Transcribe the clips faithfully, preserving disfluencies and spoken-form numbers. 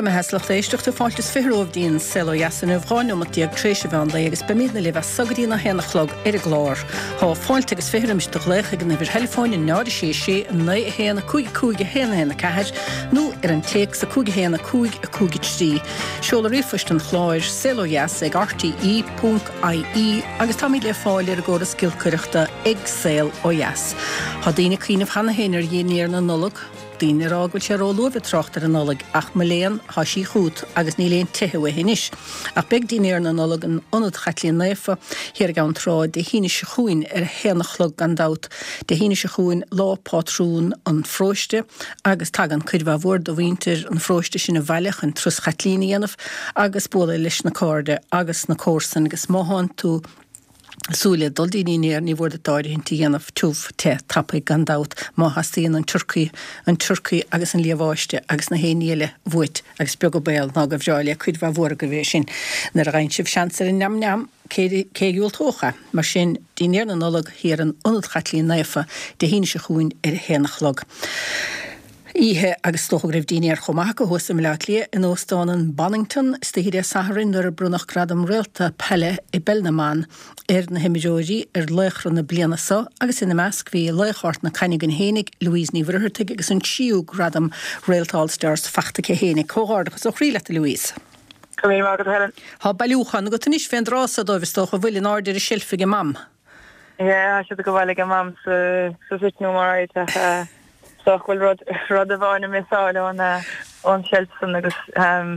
mbeatha is lucht éisteachta fáilte is fiche romhaibh dtí'n Saol Ó Dheas inniu dhá neomat déag tréis an mheán lae agus beimidne libh as so go dtí a haon a chlog ar an gclár. Tá fáilte agus fiche roimis do ghlaoch ag an uimhir theileafóin a náid a sé sé naoi a haon a cúig cúig a haon a haon a ceathair nó ar an téacs a cúig a haon a cúig a cúig a trí. Seoladh ríomhphoist an chláir saol ó dheas ag RTE ponc IE agus táimid le fáil ar an gcóras giolcaireachta ag Saol Ó Dheas. Tá daoine ag cuimhneamh cheana féin ar dhinnéar na Nollag, daoine ag rá go bhfuil sé róluath trácht ar an Nollaig ach mo léan tá sí chugat agus níl aon teitheadh uaithi anois. Ach beidh dinnéar na Nollag in Ionad Chaitlín Naofa thiar i gCeann Trá Dé hAoine seo chugainn ar a haon a chlog gan dabht. Dé hAoine seo chugainn lá pátrún an pharóiste agus tagann cuid mhaith mhór de mhuintir an pharóiste sin abhaile chun turas Chaitlín a dhéanamh agus bualadh leis na cairde agus na comharsain agus má thánn tú ag súil le dul dtí'n dinnéar ní mhór duit áirithint a dhéanamh tiubh te tapaidh gan dabht má theastaíonn an turcaí an turcaí agus an liamháiste agus na haon ní eile uait agus beag an baol ná gur bhreá le cuid mhaith mhór agaibh é sin nuair a gheibheann sibh seans ar an neam neam cé cé a dhiúltódh é mar sin dinnéar na Nollag thiar in Ionad Chaitlín Naofa Dé hAoine seo chugainn ar a haon a chlog. Oíche agus is dócha go raibh dinnéar chomh maith acu thuas i mBleá Cliath in Óstán an Bonnington istoíche Dé Sathairn nuair a bronnadh gradam réalta peile i bpeil na mban ar na himreoirí ar laochra na bliana seo agus ina measc bhí laoch Ard na Caithne againn fhéinig Louise Ní Mhuircheartaigh agus an tríú gradam Réalta All Stars fachta aici fhéinig. Comhghairdeachas ó chroí leat a Louise. Go raibh maith agat Helen. Tá bailiúchán agat anois fén dtráth so dóibh is dócha a bhfuil in airde ar an seilf ag Mam. Yeah, tá siad ag gabháil ag Mam sa sa sitting room alright ach uh, so bhfuil rud rud amháin a missáil ón ón seilf san agus um,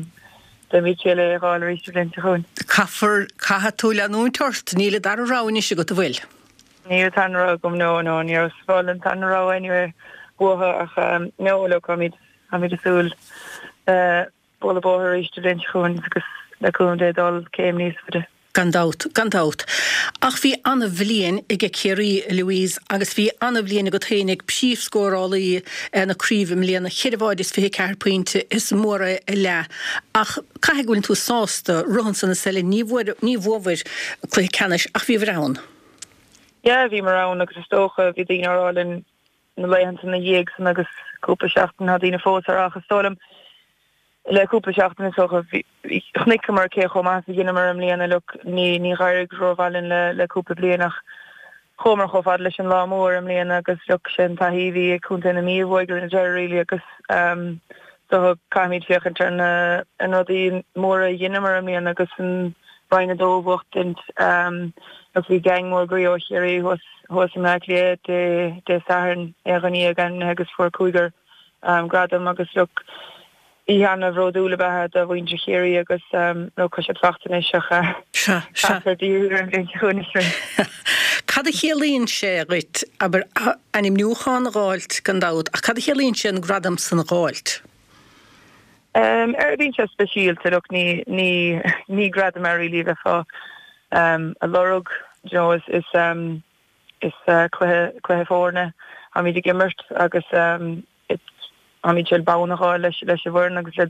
beimid le fáil arís an bhliain seo chugainn. Caithfear caithfidh tú leanúint ort níl an dara rogha anois agat an bhfuil. Níl tan ra gom no no ní fáil an tan ra anyway buatha ach um, no look táimid táimid ag súil uh, bualadh bóthar arís an bhliain seo chugainn agus le cúnamh Dé dul céim níos faide. Gan dabht, gan dabht. Ach bhí an-bhliain ag Ciarraí Louise agus bhí an-bhliain agat fhéinig príomhscórálaí na craoibhe i mbliana ceithre bháide is fiche ceathair pointe is mór é a leath. Ach caithfidh go bhfuil tú sásta romhan san is eile ní ní bhuabhair cluiche ceannais ach bhíobhair ann. Yeah, bhíomar ann agus is dócha bhí daoine ag rá linn na laethanta ina dhiaidh san agus cúpla seachtain tá daoine fós ar ach is dóigh liom le cúpla seachtain is dócha chonaiceamar cé chomh maith a dheineamar i mbliana look ní ní d'éirigh rómhaith linn le le cúpla bliain ach chuamar chomh fada leis an lá mór i mbliana agus look sin taithí bhí ag Contae na Mí a bhuaigh na deireadh really agus um, so caithfimid féachaint ar na an rudaí móra a dheineamar i mbliana agus an Roinn a dó a bhuachtaint um, agus bhí gang mór groí ó Chiarraí thuas thuas i mBleá Cliath Dé Dé Sathairn ar ghní gan agus fuair cúigear um, gradam agus look oíche an-bhródúil a bheith do mhuintir Chiarraí agus um, nó chu siad fachtain ach Sea, sea. Cad a chiallaíonn sé dhuit abair ainmniúchán a dh'fháilt gan dabht ach cad a chiallaíonn sé an gradam san a dh'fháilt? Um, ar bíonn sé speisialta look ní ní ní gradam ar really bheifeá um, a lorg you know, is is um, is uh, cluiche cluiche foirne táimid ag imirt agus um, táimid sé bonn a fháil leis leis an bhfoireann agus le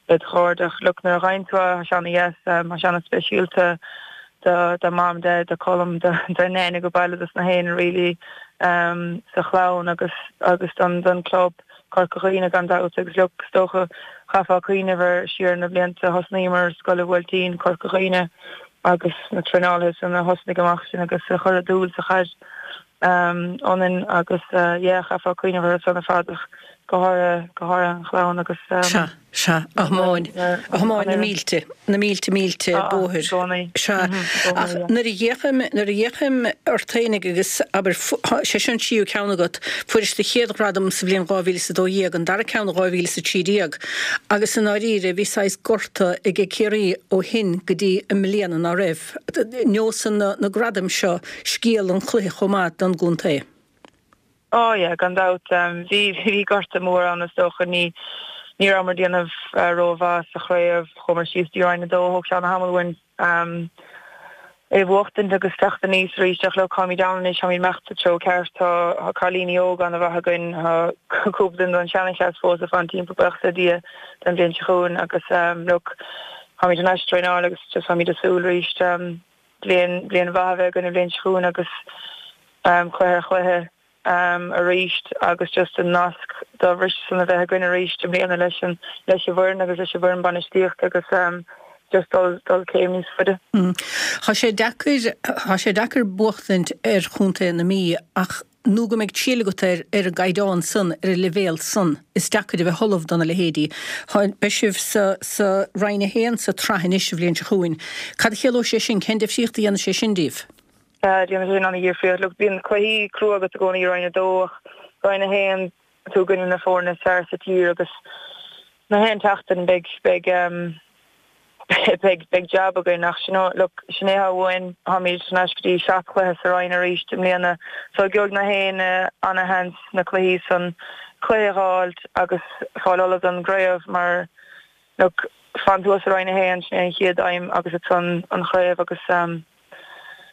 le chairde ach look nuair a ghain tú sean yes um, sean speisialta do do mam de do Colm do do nene go baile dus na héin really um, sa chlann agus agus don don club Corca Dhuibhne gan dabht agus look is dócha chaithfeá cuimhneamh siar na blianta thosnaíomar Scoil an Bhuailtín Corca Dhuibhne agus na traenálaithe san a thosnaigh amach sin agus a chuir dúil sa chaid um, ionainn agus uh, yeah, chaithfeá cuimhneamh ar san fad go háirithe go háirithe an chlann agus um, Sea sea a thiomáin a thiomáin na mílte na mílte mílte bóthair Sea ach nuair a fhéachaim nuair a fhéachaim ort fhéinig agus abair sé sin tríú ceann agat fuairis do chéad ghradam sa bhliain dhá mhíle is a dó dhéag an dara ceann dhá mhíle is a trí déag agus san áiríre bhí saghas gorta ag Ciarraí ó shin go dtí i mbliana ná raibh neosann na, na gradaim seo scéal an chluiche chomh maith don gcontae. Oh yeah, gan dabht um, bhí bhí gorta mór ann is dócha ní ní rabhamar ag déanamh uh, rómhaith sa chraobh chuamar síos dtí Roinn a dó thóg sé an-tamall uainn um, é bhuachtaint agus teacht aníos arís ach look táimid ann anois táimid imeacht sa treo ceart tá cailíní óga an-mhaith againn cúpla duine den seanchleas fós ag fanacht timpeall buíochas le Dia den bhliain seo chugainn agus um, look táimid an traenáil agus just táimid ag súil arís um, bliain bliain mhaith a bheith againn an bhliain seo chugainn agus um, cluiche cluiche arís agus just an nasc dá bhris san a bheith againn arís i mbliana leis an leis an bhfoireann agus leis an bhfoireann bainistíochta agus um, just dul dul céim níos faide. Mm. Tá sé deacair tá sé deacair buachtaint ar chontae na Mí ach nó go mbeidh triail agat ar ar an gcaighdeán san ar an leibhéal san is deacair a bheith ullamh dona leithéidí. Beidh sibh sa sa Roinn a haon sa tsraith anois an bhliain seo chugainn. Cad a chiallóidh sé sin cén difríocht a dhéanfaidh sé sin daoibh? Déanann sé sin an-difríocht. Look bíonn cluichí crua agat i gcónaí i Roinn a dó ach Roinn a haon tú i gcoinne na foirne is fearr sa tír agus na haon tseachtain beidh beidh um, beidh beidh jab againn ach sin look sin é atá uainn táimid thar n-ais go dtí seacht cluiche sa roinn arís i mbliana so gheobhaidh na héinne ana-sheans na cluichí san cluiche a fháilt agus fáil ullamh don gcraobh mar look fan thuas sa roinn a haon sin é an chéad aidhm agus ansan an chraobh agus um,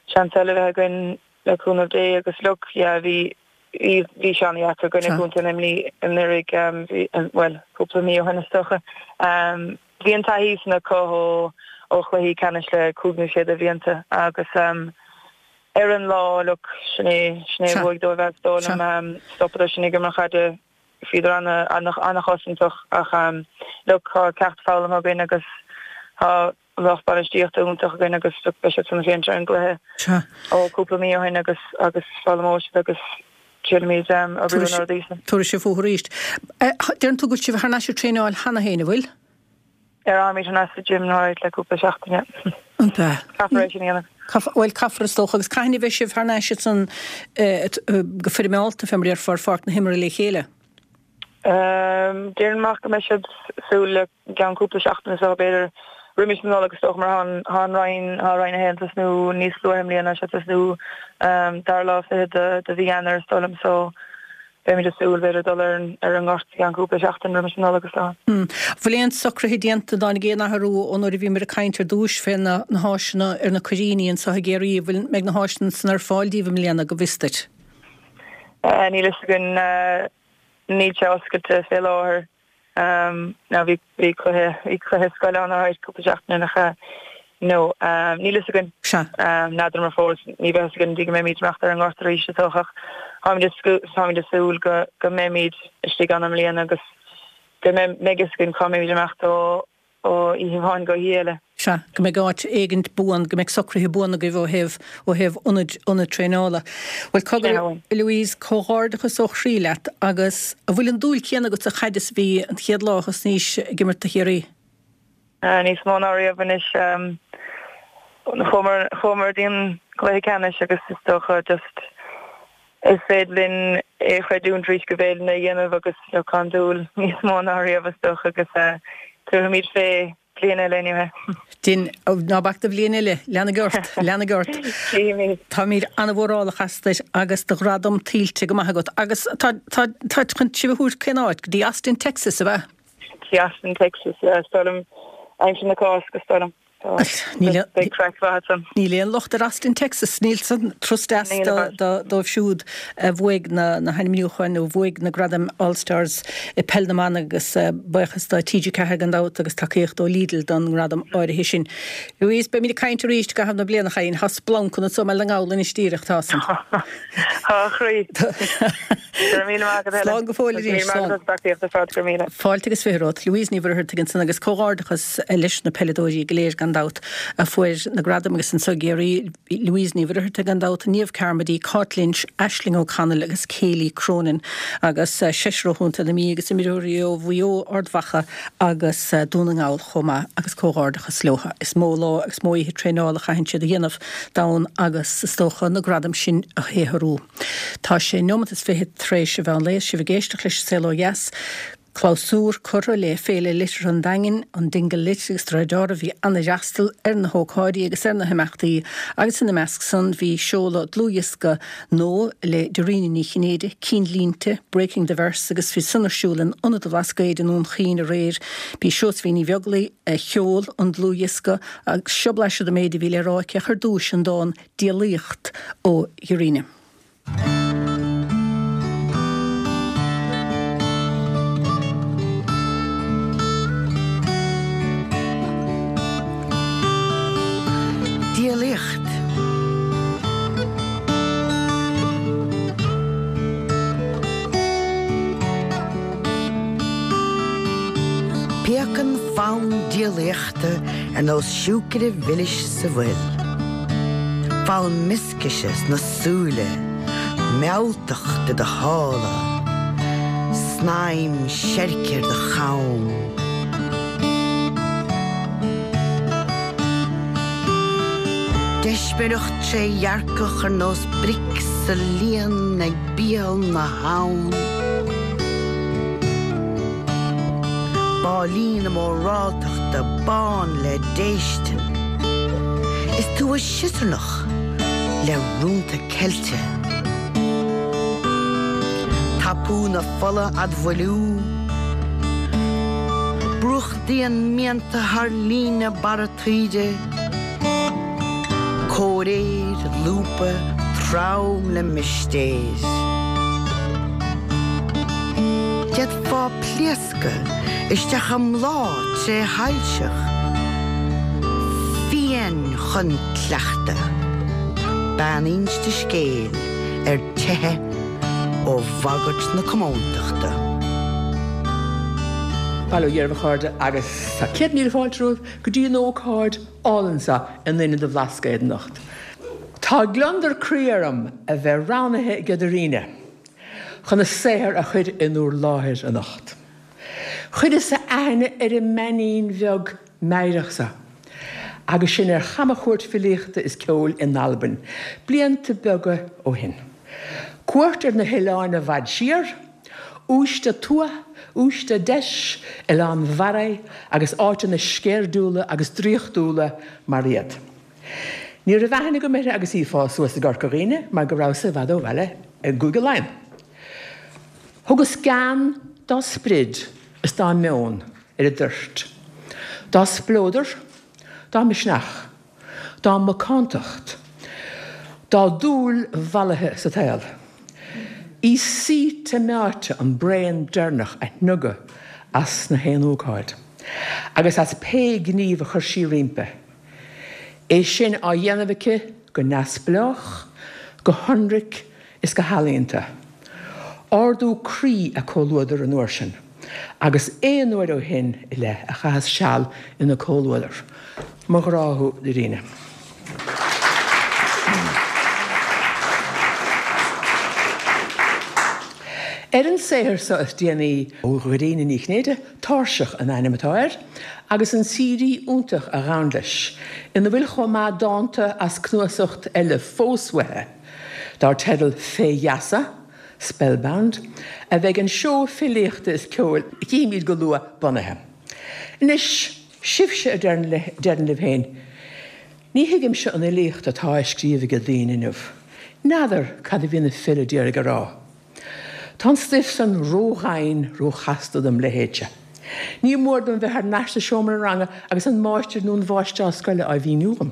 seans eile bheith againn le cúnamh Dé agus look yeah bhí bhí sé an-deacair i gcoinne Contae na Mí anuraidh um, well cúpla mí ó shin is dócha. Um, bhí an taithí san acu ó ó chluichí ceannais le cúig nó sé de bhlianta agus um, ar an lá look sin é sin é bhuaigh dóibh is dóigh liom um, stopadar sinn ag imirt caide bhíodar ana an-chosantach ach um, look tá ceacht foghlamtha againn agus tá lucht bainistíochta iontach againn agus beidh siad san féachaint ar an gcluiche ó cúpla mí ó shin agus agus foghlaimeoidh siad agus triailfimid um, oibriú na rudaí sin. Tabharfaidh sibh fúthu arís. Deireann tú go bhfuil sibh thar n-ais ag traenáil cheana féin, an bhfuil? Ar táimid thar n-ais sa gym alright le cúpla seachtain. An bea. Caithfear é sin a dhéanamh. Bhuel caithfear is dócha agus cathain a bheidh sibh thar n-ais san go foirmeálta fé mar a déarfá ar pháirc na himeartha le chéile? Um, Déarfainn amach go mbeidh siad súil le ceann cúpla seachtain so b'fhéidir roimis an Nollaig is dócha mar tá an roinn tá roinn a haon ag tosnú níos luaithe i mbliana sé ag tosnú um, dara lá fichead de, de mhí Eanáir is dóigh liom so beimid ag súil b'fhéidir dul ar an ar an ngort i gceann cúpla seachtain roimis an Nollaig is dócha. Mm. Bhfuil aon socruithe déanta an dtáinig aon athrú ón uair a bhíomar ag caint ar dtús fé na, na háiseanna ar na cuiríní anseo i gCiarraí, bhfuil mbeidh na háiseanna san ar fáil daoibh i mbliana go bhfios duit? Uh, níl a fhios againn uh, níl sé oscailte fé láthair. Um, now bhí bhí cluiche bhí cluiche scoile ann alright cúpla seachtain nach ea. No, um, níl a fhios againn. Sea. Um, n'fheadar mar fós ní bheidh a fhios againn go dtí go mbeimid ag imeacht ar an ngort arís is dócha ach táimid ag táimid ag súil go go mbeimid istigh ann i mbliana agus go mbeidh a fhios againn cá mbeimid ag imeacht ó ó oíche amháin go hoíche eile. Sea, go mbeidh áit éigint buan, go mbeidh socruithe buan agaibh ó thaobh, ó thaobh ionad, ionad traenála. Bhuel, cogar, Louise, comhghairdeachas ó chroí leat agus an bhfuil an dúil chéanna agat sa chaid is a bhí an chéad lá a thosnaís ag imirt do Chiarraí? Níos mó ná riamh anois. Chuamar, chuamar dtí an cluiche ceannais agus is dócha just is féidir linn é a chreidiúint arís go bhféidir linn é a dhéanamh agus look tá an dúil níos mó ná riamh is dócha agus tabharfaimid fé bliain eile anyway. Din, ná bac do bhliain eile, leanaigí ort, leanaigí ort. Tchífimid. Táimid an-mhórálach asat agus do ghradam tuillte go maith agat. Agus tá, tá, tá chun sibh a thabhairt cén áit? Go dtí Austin, Texas, ab ea? Go dtí Austin, Texas, yeah, is dóigh liom aimsir na Cásca, is dóigh liom. Beidh craic mhaith ansan. Níl aon locht ar Austin, Texas. Níl san turas deas dóibh siúd a bhuaigh na hainmniúcháin nó a bhuaigh na gradaim All Stars i Peil na mBan agus buíochas do T G ceathair gan dabht agus tacaíocht ó Lidl don ngradam áirithe sin. Louise, beimid ag caint arís i gcaitheamh na bliana, a chailín. Tá splanc ionat i mBaile na nGall anois díreach, tá san. Tá, a chroí. Go raibh míle maith agat, Helen. Slán go fóill arís. Go raibh míle maith agat as tacaíocht ar fad, go raibh míle. Fáilte agus fiche romhat. Louise Ní Mhuircheartaigh ansan agus comhghairdeachas leis na peileadóirí go léir gan dabht a fuair na gradaim agus anso i gCiarraí, Louise Ní Mhuircheartaigh gan dabht, Niamh Carmody, Cáit Lynch, Aisling O'Connell agus Kayleigh Cronin agus seisear ó Chontae na Mí agus imreoirí ó Mhaigh Eo, Ard Mhacha agus Dún na nGall chomh maith agus comhghairdeachas leo. Is mó lá agus mó oíche traenála a chaitheann siad a dhéanamh d'fhonn agus is dócha na gradaim sin a shaothrú. Tá sé neomat is fiche tar éis an mheán lae, sibh ag éisteacht leis An Saol Ó Dheas. Clabhsúr curtha le Féile Liteartha an Daingin, an Dingle Lit agus de réir dealraimh bhí an-fhreastal ar na hócáidí agus ar na himeachtaí agus ina measc san bhí seoladh dlúthdhiosca nua le Dairena Ní Chinnéide, Cinnlínte, Breaking the Verse agus bhí san ar siúl in Ionad an Bhlascaoid i nDún Chaoin aréir. B'í Seosaimhín Ní Bheaglaoich a sheol an dlúthdhiosca agus seo blaiseadh den méid a bhí le rá aici ach ar dtúis an dán 'Diabhlaíocht' ó Dhairena. Diabhlaíocht. Fonn diabhlaíochta ar nós siúcra mhilis sa bhfuil. Fonn mioscaise sna súile, mealltacht i do shála, snaidhm seirce ar do cham. Deismireacht trédhearcach ar nós bric sa líon ag biail na habhann. Báillí na móráltachta bán le déistin. Is tú ag siosarnach le rúnta ceilte. Tapú na fola ad bhailiú. Brúchtaíonn mianta thar líne barra taoide. Comhréir, lúba, trom le mistéir. D'fhéadfá pléascadh isteach i mbláth tréshoilseach. Fiáin chun cleachtadh. Bean inste scéil ar teitheadh ó bhagairt na comóntachta. Bail ó Dhia oraibh a chairde agus tá céad míle fáilte romhaibh go dtí an ócáid álainn seo in Ionad an Bhlascaoid anocht. Tá gliondar croí orm a bheith roghnaithe ag Doireann chun a saothar a chur in úr láthair anocht. Chuireas aithne ar an mbeainín bheag meidhreach seo, agus sin ar chamchuairt filíochta is ceoil in Albain, blianta beaga ó shin. Cuairt ar na hoileáin i bhfad siar, Uisde Tuath, Uisde Deis, Oileán Bharraigh agus áiteanna sceirdiúla agus draíochtúla mar iad. Ní raibh aithne agam uirthi agus í ag fás suas i gCorca Dhuibhne mar go rabhas i bhfad ó bhaile i gCúige Laighean. Thugas gean dá sprid is dá meon ar an dtoirt, dá spleodar, dá misneach, dá macántacht, dá dúil mhallaithe sa tsaol. Í saoite meáite an braon deireanach a shnogadh as na haon ócáid, agus as pé gníomh a chuir sí roimpi. É sin á dhéanamh aici go neamhspleách, go hionraic is go healaíonta. Ardú croí a comhluadar an uair sin, agus aon uair ó shin i leith a chaitheas seal ina comhluadar. Mo ghrá thú, Doireann. Ar an saothar seo is déanaí ó Dhoireann Ní Chinnéide, Tairseach an ainm atá air, agus an C D iontach a ghabhann leis, ina bhfuil chomh maith dánta as cnuasacht eile fós uaithi, dar teideal Fé Gheasa, Spellbound, a bheidh an seó filíochta is ceoil a chífimid go luath bunaithe. Anois, sibhse a deireann libh féin, ní thuigimse an fhilíocht atá á scríobh ag daoine inniu. N'fheadar cad a bhí na file d'iarraidh a rá. Tá an stuif san ródhoimhin, róchasta dom leithéidse. Ní mór dom bheith thar n-ais sa seomra ranga agus an máistir nó an mháistreás scoile á mhíniú dom.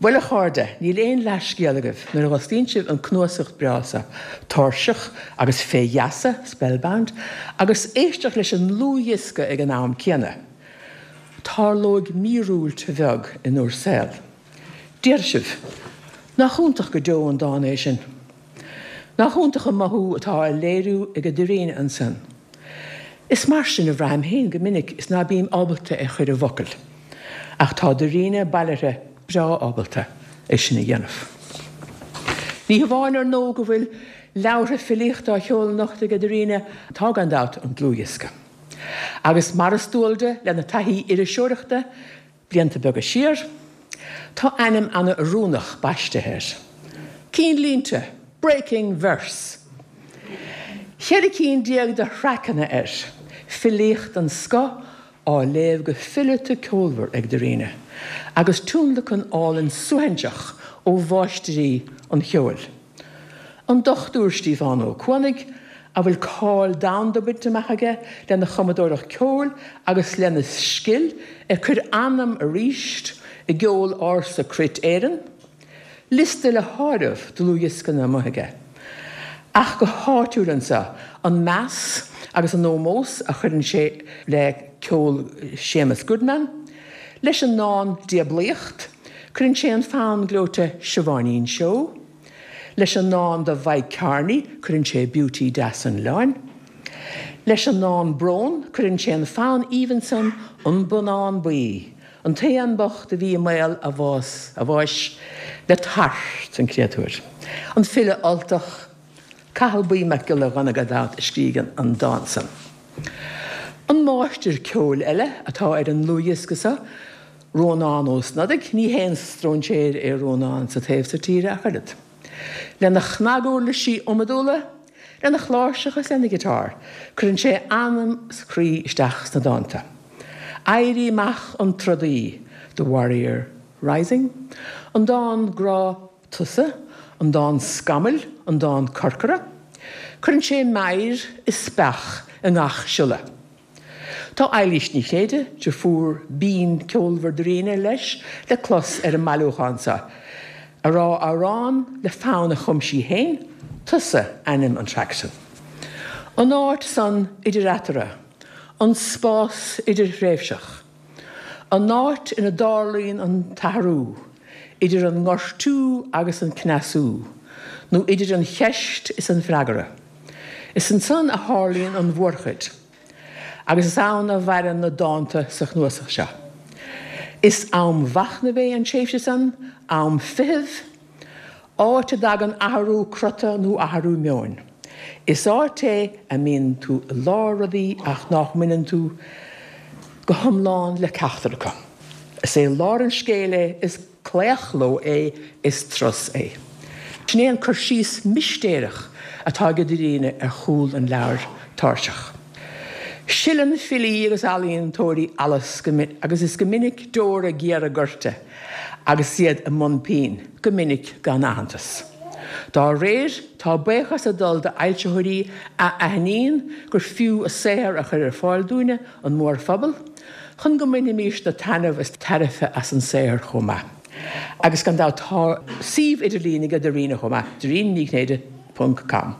Bhuel a chairde, níl aon leathscéal agaibh nuair a dh'osclaíonn sibh an cnuasacht breá seo, Tairseach agus Fé Gheasa, Spellbound, agus éisteacht leis an ndlúthdhiosca ag an am céanna. Tarlóidh míorúilt bheag in úr saol. Déarfaidh sibh, nach iontach go deo an dán é sin. Nach iontach an mothú atá á léiriú ag Doireann ansan. Is mar sin a bhraithim féin go minic is ná bím ábalta é chur i bhfocail. Ach tá Doireann bailithe breá ábalta é sin a dhéanamh. Ní hamháin ar ndóigh go bhfuil leabhartha filíochta á sheoladh anocht ag Doireann, tá gan dabht an dlúthdhiosca. Agus mar is dual di lena taithí iriseoireachta blianta beaga siar, tá ainm an-oiriúnach baiste air. Cinnlínte, Breaking Verse. Ceithre cinn déag de thraiceanna air, filíocht den scoth á léamh go fileata ceolmhar ag Doireann, agus tionlacan álainn suaithinseach ó mháistrí an cheoil. An Dochtúir Stiofán Ó Cuanaigh, a bhfuil cáil domhanda bainte amach aige lena chumadóireacht ceoil agus lena scil ag cur anam arís i gceol ársa Cruit Éireann, liosta le háireamh dlúthdhioscanna amuigh aige. Ach go háitiúil anseo, an meas agus an ómós a chuireann sé le ceol Séamus Goodman, leis an ndán Diablaíocht, cuireann sé an fonn gleoite Siobháinín Seó, leis an ndán do Mhike Kearney, cuireann sé Beauty Deas an Oileáin, Leis an ndán Brón, cuireann sé an fonn aoibhinn san An Bonnán Buí, an t-éan bocht a bhí i mbaol a bhás, a bháis, le tart, an créatúr. An file Ultach, Cathal Buí Mac Giolla Ghunna gan dabht a scrígh an dán san. An máistir ceoil eile atá ar an ndlúthdhiosca seo, Rónán Ó Snodaigh, ní haon stróinséir é Rónán sa taobh so tíre ach oiread. Lena chnaguirlisí iomadúla, lena chláirseach is lena ghiotár, cuireann sé anam is croí isteach sna dánta. Éirí amach an trodaí, The Warrior Rising, an dán grá Tusa, an dán Scamaill, an dán Corcra, cuireann sé meidhir is speach i ngach siolla. Tá Eilís Ní Chinnéide, deirfiúr binn ceolmhar Dairena, leis le clos ar an mbailiúchán seo, ag rá amhrán le fonn a chum sí féin, Tusa ainm an traic sin. An áit san idir eatarthu, an spás idirthréimhseach, an áit ina dtarlaíonn an t-athrú, idir an ngortú agus an cneasú, nó idir an cheist is an freagra. Is ansan a tharlaíonn an mhórchuid. Agus is ann a mhaireann na dánta sa chnuasach seo. Is am mhachnaimh é an tréimhse san, am feithimh, áit a dtagann athrú crota nó athrú meoin. Is áit é a mbíonn tú i lár rudaí ach nach mbaineann tú go hiomlán le ceachtar acu. Is é lár an scéil é, is claochló é, is turas é. Sin é an cur síos mistéireach atá ag Dairena ar chúl an leabhair Tairseach. Sileann filí agus ealaíontóirí allas agus is go minic deora géara goirte agus iad i mbun pinn, go minic gan aitheantas. Dá réir, tá buíochas ag dul d'fhoilsitheoirí a aithníonn gur fiú a saothar a chur ar fáil dúinne, an mórphobal, chun go mbainfimísne taitneamh is tairbhe as an saothar chomh maith. Agus gan dabht tá suíomh idirlín ag Dairena chomh maith, Dairena Ní Chinnéide ponc com,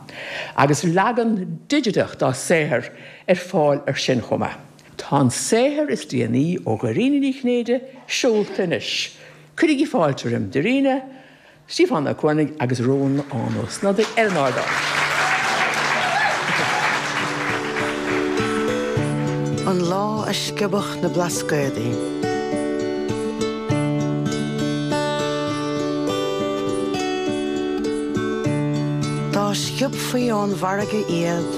agus leagan digiteach dá saothar ar fáil ar sin chomh maith. Tá an saothar is déanaí ó Dhairena Ní Chinnéide seolta anois. Cuirigí fáilte roimh Dairena, Stiofán Ó Cuanaigh agus Rónán Ó Snodaigh ar an ardán. An lá a sciobadh na Blascaodaí. Dá sciobfaí ón bhfarraige iad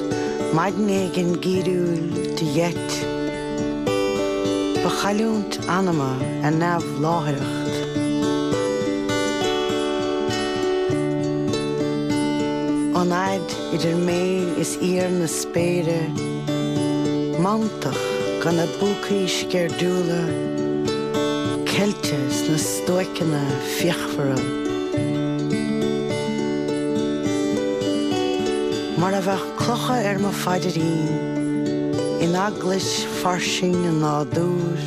maidin éigin geimhriúil de gheit, ba chailliúint anama a neamhláithreacht. An fhaid idir mé is íor na spéire, mantach gona bpúcaí sceirdiúla, ceilte sna stoiceanna fíochmhara. Mar a bheadh clocha ar mo phaidrín, in eaglais fairsing an nádúir.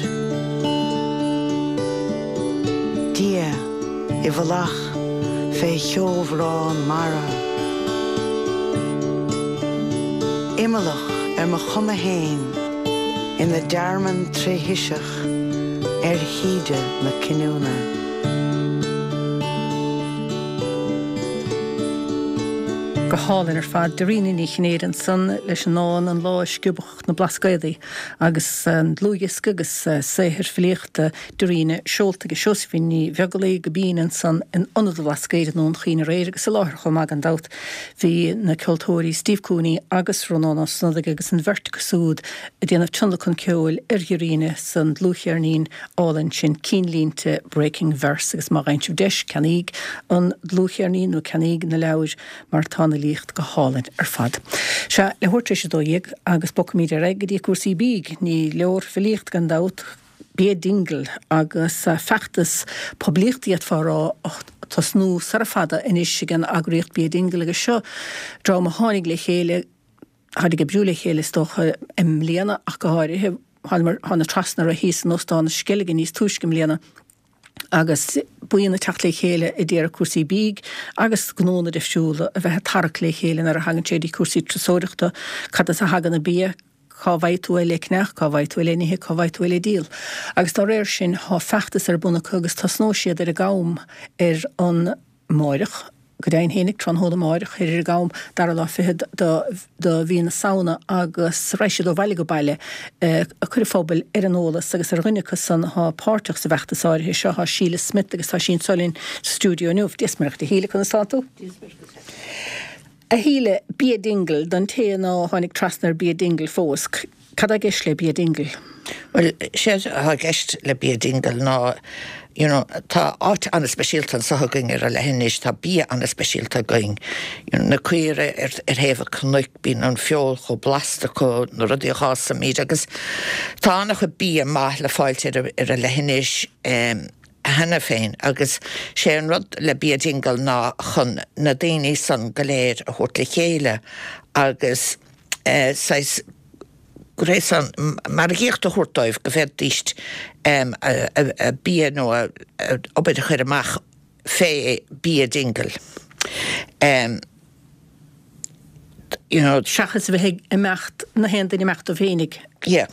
Dia i bhfolach fé cheobhrán mara. Imeallach ar mo chuma fhéin ina dtearmann tréshiseach ar thaoide na cinniúna. Go hálainn ar fad, Dairena Ní Chinnéide ansan leis an ndán An Lá a Sciobadh na Blascaodaí agus an dlúthdhiosca agus saothar filíochta Dairena seolta ag Seosaimhín Ní Bheaglaoich go binn ansan in Ionad an Bhlascaoid i nDún Chaoin aréir agus i láthair chomh maith gan dabht bhí na ceoltóirí Steve Cooney agus Rónán Ó Snodaigh agus an bheirt acu siúd ag déanamh tionlacan ceoil ar Dhairena san dlúthcheirnín álainn sin Cinnlínte Breaking Verse agus má fhaigheann sibh deis ceannaíg an dlúthcheirnín nó ceannaíg na leabhair mar tá an fhilíocht go hálainn ar fad. Sea, leathuair tar éis a dó dhéag agus bogfaimid ar aghaidh go dtí cúrsaí bídh. Ní leor filíocht gan dabht, Bia Dingle agus feachtas poiblíochta d'fhéadfá a rá á tosnú sara fada anois ag an eagraíocht Bia Dingle agus seo dream a tháinig le chéile, tháinig ag oibriú le chéile is dócha i mbliana ach go háirithe, tháinig trasna orthu thíos in Óstán na Sceilge níos túisce i mbliana. agus buíon ag teacht le chéile a d'iarraidh cúrsaí bídh agus gnónna difriúla a bheith ag tarrac le chéile nuair a thagann sé dtí cúrsaí turasóireachta, cad as a thagann an bia, cá bhfaighidh tú é le ceannach, cá bhfaighidh tú é le n-ithe, cá bhfaighidh tú é le díol. Agus dá réir sin, tá feachtas ar bun acu agus tosnóidh siad ar an gCam ar an Máireach, go deimhin fhéinig tráthnóna amáireach thoir ar an gcam, dara lá fichead de mhí na Samhna agus raghaidh siad ó bhaile go baile ag cur an phobail ar an eolas agus ar dhuine acu san atá páirteach sa bhfeachtas áirithe seo tá Síle Smith agus tá sí anso linn sa stiúideo inniu. Dia 's Muire dhuit a Shíle, conas tá tú? A Shíle, Bia Dingle, don té ná tháinig trasna ar Bia Dingle fós, cad tá i gceist le Bia Dingle? Bhuel, séard atá i gceist le Bia Dingle ná, you know, tá áit an-speisialta anseo againn ar an leithinis, tá bia an-speisialta againn. You know, na caora ar, ar thaobh an chnoic, bíonn an feoil chomh blasta acu, na rudaí a dh'fhásaimid agus tá an-chuid bia maith le fáilt ar, ar an leithinis um, cheana féin agus sé an rud le Bia Dingle ná chun na daoine san go léir a thabhairt le chéile agus eh, saghas gréasán margaíocht a thabhairt dóibh go bhféadfaidís a bia nó a obair a chur amach fé Bia Dingle. Um, you know, Seachas a bheith ag imeacht na haon duine imeacht dó féinig. Yeah.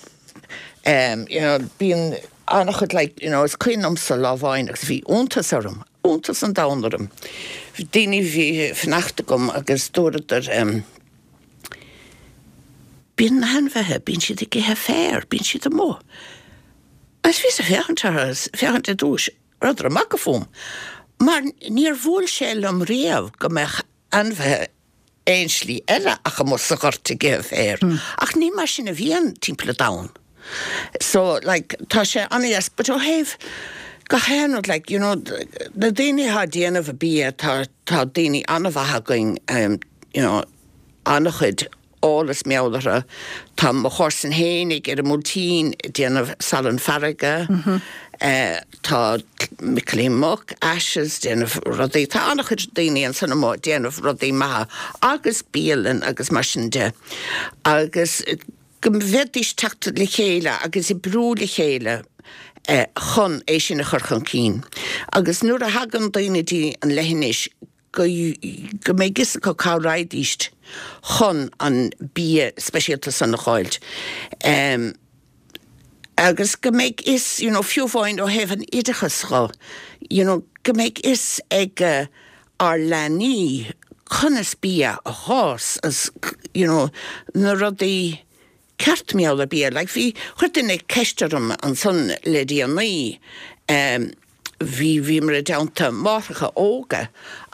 Um, you know, bíonn an-chuid like, you know, is cuimhin liomsa lá amháin agus bhí iontas orm, iontas an domhain orm. Bhí daoine bhí fanacht agam agus dúradar um, Bíonn na hainmhithe, bíonn siad ag ithe féar, bíonn siad amuigh. Agus bhíos ag féachaint orthu, féachaint ar dtús, rabhadar ag magadh fúm. Mar níor bhuail sé liom riamh go mbeadh ainmhithe aon slí eile ach amuigh sa ghort ag ithe féir. Ach ní mar sin a bhíonn timpeall an domhain. So, like, tá sé an-dheas, but ó thaobh gach aon rud, like, you know, na daoine atá ag déanamh a bia, tá, tá daoine an-mhaith againn, um, you know, an-chuid eolas meabhlaithe. Tá mo chomharsan fhéinig ar an mBuailtín ag déanamh salann farraige. Tá Micilín Muc, Ashes, déanamh rudaí. Tá an-chuid daoine ansan amuigh ag déanamh rudaí maithe agus bialann agus mar sin de. Agus go bhféadfaidís teacht le chéile agus oibriú le chéile chun é sin a chur chun cinn. Agus nuair a thagann daoine dtí an leithinis, go go mbeidh fhios acu cá raghaidís chun an bia speisialta san a dh'fháilt. Um, agus go mbeidh fhios, you know, fiú amháin ó thaobh an oideachas dho, you know, go mbeidh fhios ag uh, ár leanaí conas bia a dh'fhás as, you know, na rudaí ceart mar gheall ar bia. Like, bhí, chuir duine ceist orm ansan le déanaí, um, bhí, bhíomar i dteannta máithreacha óga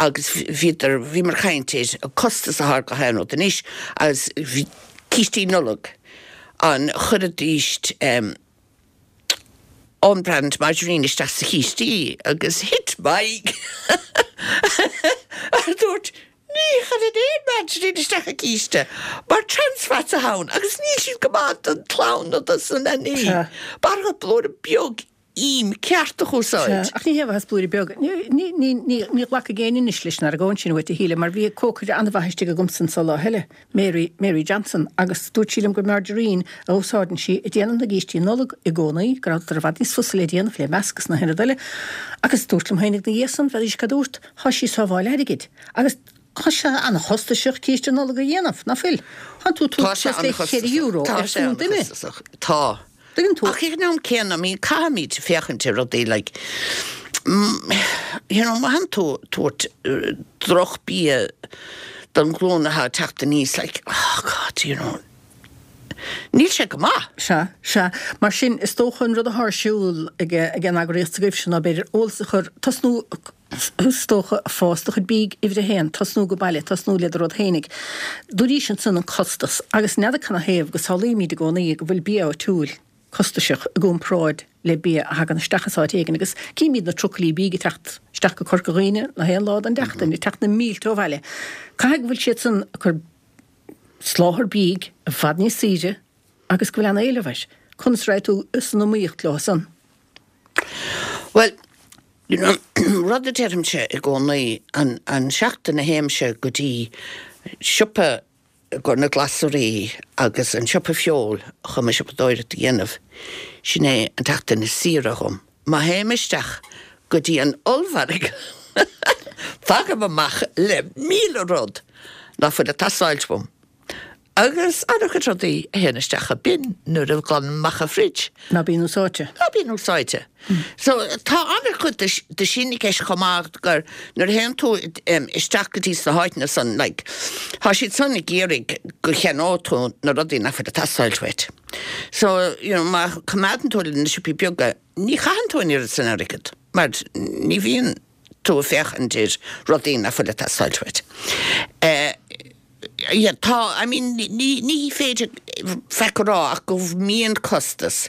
agus bhíodar, bhíomar ag caint ar an costas atá ar gach aon rud anois agus bhí cístí Nollag, an chuirfidís um, own brand margarine isteach sa chístí agus thit m'aghaidh a dúirt ní chuireann aon margarine isteach i gcíste mar trans fats atá ann agus níl siad go maith don chlann nó dos na leanaí. B'fhearr blúire beag im ceart a úsáid. Ach ní hé bheith blúire beag. Ní, ní, ní, ní ghlacfaidh éinne anois leis an argóint sin uait a Shíle, mar bhí cócaire an-mhaith istigh agamsa anso lá eile, Mary, Mary Johnson, agus dúirt sí liom gur margarine a úsáideann sí ag déanamh na gcístí Nollag i gcónaí, go rabhadar i bhfad níos fusa le déanamh, le meascadh is na haon rud eile. Agus dúirt liom féinig 'na dhiaidh san, bheadaís cad dúirt, thá sí ag sábháil airgid. Agus tá sé an-chostasach císte Nollag a dhéanamh, ná fuil? Thánn tú Tá sé suas le an-chostasach. ceithre euro Tá ar sé chúl duine. an-chostasach. Tá. Tuigeann tú? Ach ag an am céanna, I mean, caithfimid féachaint ar rudaí like, you know, má thánn tú tabhairt drochbhia don ghlúin atá ag teacht aníos, like, oh God, you know, níl sé go maith. Sea, sea. Mar sin, is dócha an rud atá ar siúl ag ag an eagraíocht s'agaibhse ná b'fhéidir eolas a chur, tosnú, is dócha, ag fás do chuid bídh uimhir a haon, tosnú go baile, tosnú le do rud fhéinig. Dúraís ansan an costas, agus n'fheadar canathaobh go samhlaímid i gcónaí go bhfuil bia áitiúil costasach i gcomparáid le bia a thagann isteach as áit éigin, agus címid na trucailí bídh ag teacht isteach go Corca Dhuibhne na haon lá den tseachtain, ag teacht na mílte ó bhaile. Caithfidh go bhfuil siad san ag cur soláthar bídh i bhfad níos saoire agus go bhfuil an-éileamh air. Conas a raghaidh tú san iomaíocht leo san? Bhuel, you know, rud a deirimse i gcónaí, an, an seachtain a théimse go dtí siopa i gcomhair na glasraí agus an siopa feoil chun mo siopadóireacht a dhéanamh, sin é an tseachtain is saoire dhom. Má théim isteach go dtí an ollmhargadh, tagaim amach le míle rud ná fuil ag teastáilt uaim. Agus an-chuid rudaí a théann isteach sa bin nuair a ghlanann amach an fridge. Ná bíonn úsáidte. Ná bíonn úsáidte. So tá an-chuid de sin i gceist chomh maith gur nuair a théann tú isteach go dtí sna háiteanna san like tá siad san ag iarraidh go cheannóidh tú na rudaí nach bhfuil ag teastáil uait. So you know má choimeádann tú le na siopaí beaga ní chaitheann tú an oiread san airgead mar ní bhíonn tú ag féachaint ar rudaí nach bhfuil ag teastáil uait. Yeah, tá, I mean, ní, ní féidir faic a rá ach go mbíonn costas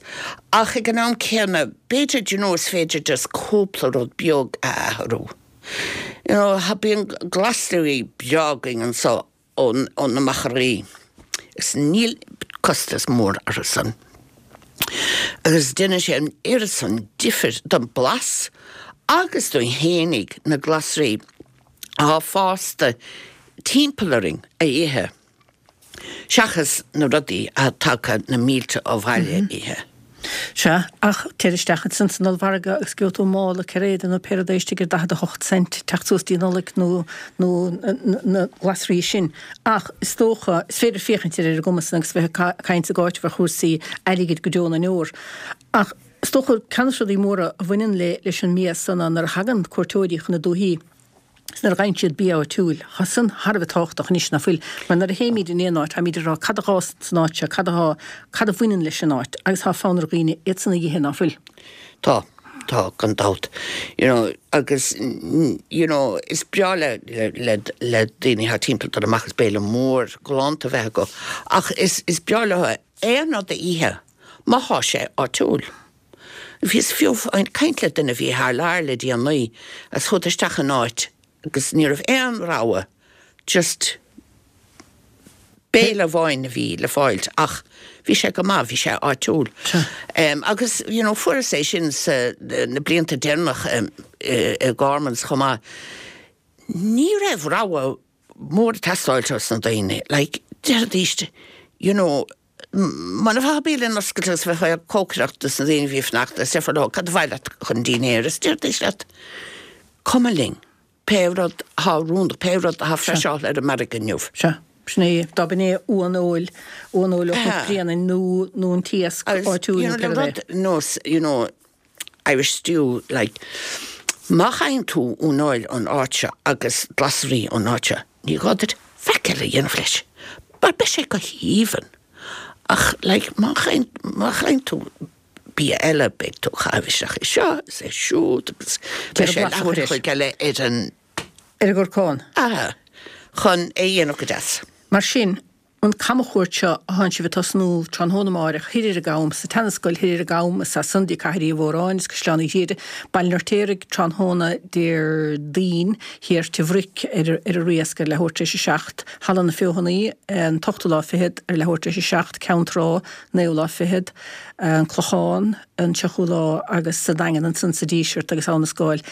ach ag an am céanna b'fhéidir, do you know, is féidir just cúpla rud beag a athrú. You know, ha bíonn glasraí breá againn anseo ón, ó na machairí agus níl costas mór orthu san. Agus déanann sé an oiread san difir don blas agus dúinn fhéinig na glasraí atá fásta timpeall orainn a ithe, seachas na rudaí atá tagtha na mílte ó bhaile a ithe. Sea, ach téir isteach ansan san ollmhargadh agus gheobhaidh tú mála cairéad nó pé rud é istigh ar daichead a hocht cent teacht suas dtí Nollaig nó nó na glasraí sin. Ach is dócha, is féidir féachaint ar ar an gcuma san agus bheith ag caint ag áiteamh ar chúrsaí airgid go deo na ndeor. Ach is dócha ceann de na rudaí móra a bhaineann le leis an mbia san ná nuair a thagann cuairteoirí chun na dúichí, is nuair a gheibheann siad bia áitiúil, tá san thar a bheith tábhachtach anois, ná fuil? Mar nuair a théimid in aon áit, táimid ag rá cad a dh'fhás san áit seo, cad atá, cad a bhaineann leis an áit, agus tá fonn ar dhaoine iad san a dh'ithe, ná fuil? Tá, tá, gan dabht. You know, agus, you know, is breá le, le, le daoine thar timpeall dul amach is béile mór galánta a bheith acu, ach is, is breá leo aon rud a ithe má thá sé áitiúil. Bhíos fiú ag caint le duine a bhí thar lear le déanaí agus chuadar isteach in áit agus ní raibh aon rogha, just béile amháin a bhí le fáilt ach bhí sé go maith, bhí sé áitiúil. Agus you know fuaireas é sin sa na blianta deireanach i Gormans chomh maith. Ní raibh rogha mór ag teastáilt os na daoine, like déarfaidís you know, Muna bhfaighfeá bialann oscailte agus bheifeá ag cócaireacht dos na daoine a bhí ag fanacht is déarfá leo cad ba mhaith leat chun dinnéir is déarfaidís leat cuma linn pé rud athá oiriúnach, pé rud athá freiseáilte ar an margadh inniu. Sea, sin é, dá b'in é uan fheoil, uan fheoil ó Chnoc Bréanainn nó nó an t-iasc áitiúil nó Agus you know pé le rud é. rud nós you know Irish stew like má fhaigheann tú uan fheoil ón áit seo agus glasraí ón áit seo ní gá duit faic eile a dhéanamh leis mar beidh sé go haoibhinn. Ach like má chaith má chaith tú bia eile beidh tú ag caitheamh isteach é seo is é siúd agus beidh sé leathuair a chloig eile ar an ar an gcorcán. Aha. Chun é a dhéanamh go deas. Mar sin, an camchuairt seo a thánn sibh ag tosnú tráthnóna amáireach thoir ar an gCam, sa tSeanascoil thoir ar an gCam, is as san dtí Cathair Uí Mhóráin is Caisleán Uí Ghriaire, Baile an Fheirtéaraigh tráthnóna Déardaoin, thiar Tigh Bhric ar ar an Riasc ar leathuair tar éis a seacht, Halla na Feothanaí an t-ochtú lá fichead ar leathuair tar éis a seacht, Ceann Trá, naoú lá fichead, an Clochán an tríochú lá agus sa Daingean ansan sa Díseart agus Abha na Scáil.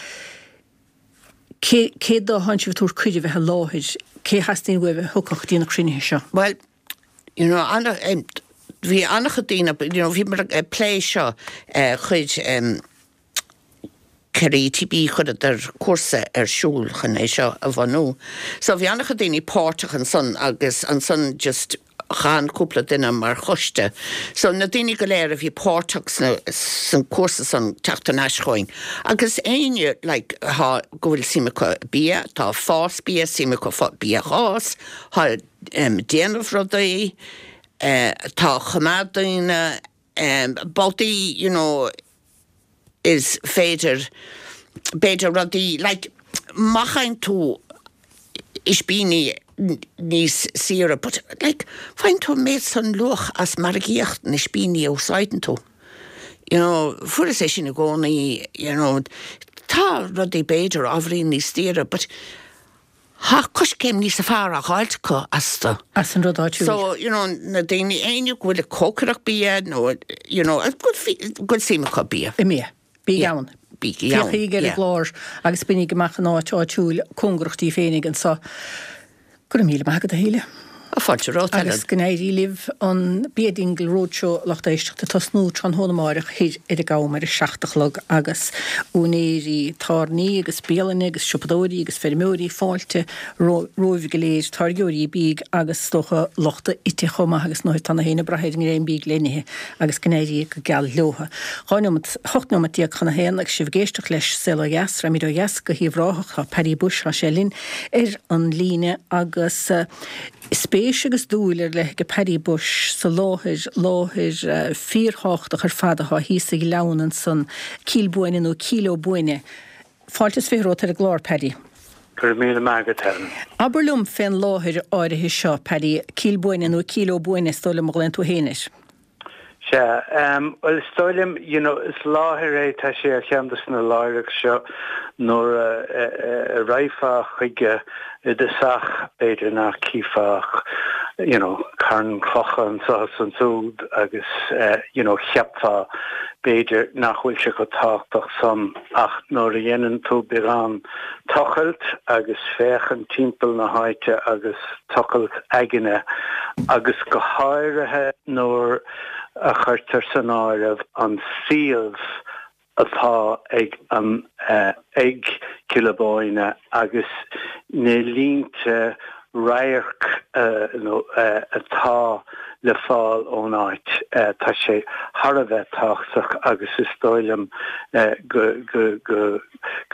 Cé cé dó a thánn sibh ag tabhairt cuireadh bheith i láthair? Cé a theastaíonn uaibh a thiocfadh dtí na cruinnithe seo? Bhuel, you know, ana, bhí an-chuid daoine, you know, bhíomar ag plé seo, chuir ceithre ETB, chuireadar cúrsa ar siúl chun é seo a bhunú. So bhí an-chuid daoine páirteach ansan agus ansan just chan cúpla duine mar choiste. So na daoine go léir a bhí páirteach sna, san cúrsa san teacht thar n-ais chugainn. Agus éinne like thá, go bhfuil suim acu i bia, tá fás bia, suim acu fá bia a dh'fhás, thá em déanamh rudaí, eh tá choimeád daoine, em babhtaí you know is féidir b'fhéidir rudaí like má fhaigheann tú ispíní níos saoire but like faigheann tú an méid san luach as margaíocht na ispíní a úsáideann tú you know fuaireas é sin i gcónaí you know tá rudaí b'fhéidir ábhairín níos daoire but Tá coiscéim níos fearr á dh'fháilt acu astu. As an rud áitiúil. So, you know, na daoine, éinne go bhfuil ag cócaireacht bia nó, you know, go bhfuil suim acu bia. I mbia. Bígí ann. Bígí ann, Féachaigí ar an yeah. gclár agus bainigí amach an áit áitiúil cóngarach daoibh féinig anseo. Go raibh míle maith agat, a Shíle. Fáilte romhat, Helen. Agus go n-éirí libh an Bia Dingle Roadshow lucht éisteachta tosnú tráthnóna amáireach thoir ar an gCam ar a seacht a chlog agus úinéirí tábhairní agus bialanna agus siopadóirí agus feirmeoirí fáilte romhaibh go léir, táirgeoirí bídh agus is dócha lucht a ite chomh maith agus nuair atá na héinne ag brath ar an ngreim bídh le n-ithe agus go n-éirí go geal leotha. Dhá neomat, hocht neomat déag chun a haon agus sibh ag éisteacht leis Saol Ó Dheas, Raghaimid ó dheas go hUíbh Ráthach, tá Paddy Bushe, tá sé linn ar an líne agus spéis agus dúil ar leith ag Paddy Bushe sa láthair, láthair fíorthábhachtach ar fad atá thíos sa ghleann ansan, Cill Bhuaine nó Cill Ó Buaine. Fáilte is fiche romhat ar an gclár, Paddy. Go raibh míle maith agat, Helen. Abair liom fén láthair áirithe seo, Paddy, Cill Bhuaine nó Cill Ó Buaine is dóigh liom a ghlaonn tú féin air. Sea, bhuel is dóigh liom, you know, is láthair é, tá sé ar cheann de na láithreacha seo nuair a raghfá chuige i dtosach b'fhéidir nach cífeá ach, you know, carn clocha anseo is ansúd agus, you know, cheapfá b'fhéidir nach bhfuil sé chomh tábhachtach san ach nuair a dhéanann tú beagán tochailt agus féachaint timpeall na háite agus tochailt aigne agus go háirithe nuair a chuirtear san áireamh an suíomh atá ag an ag Cill Ó Bóinne agus na línte radhairc atá le fáil ón áit, tá sé thar a bheith tábhachtach agus is dóigh liom go go go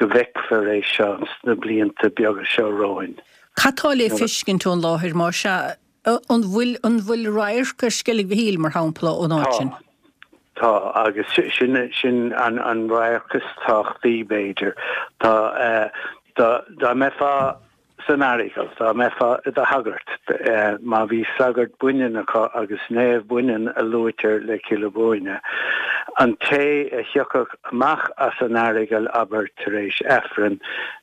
bhfeicfear é seo sna blianta beaga seo romhainn. Cad tá le feiscint ón láthair má sea? An bhfuil an bhfuil radharc ar Sceilg Mhichíl, mar shampla, ón áit sin? Tá. Tá, agus sin sin an an radharc is tábhachtaí, b'fhéidir. Tá, dá dá mbeifeá san Earagail, dá mbeifeá i do shagart, má bhí sagart baineann acu agus naomh baineann a luaitear le Cill Ó Buaine, an té a thiocfadh amach as an Earagail, abair, tar éis Aifrinn,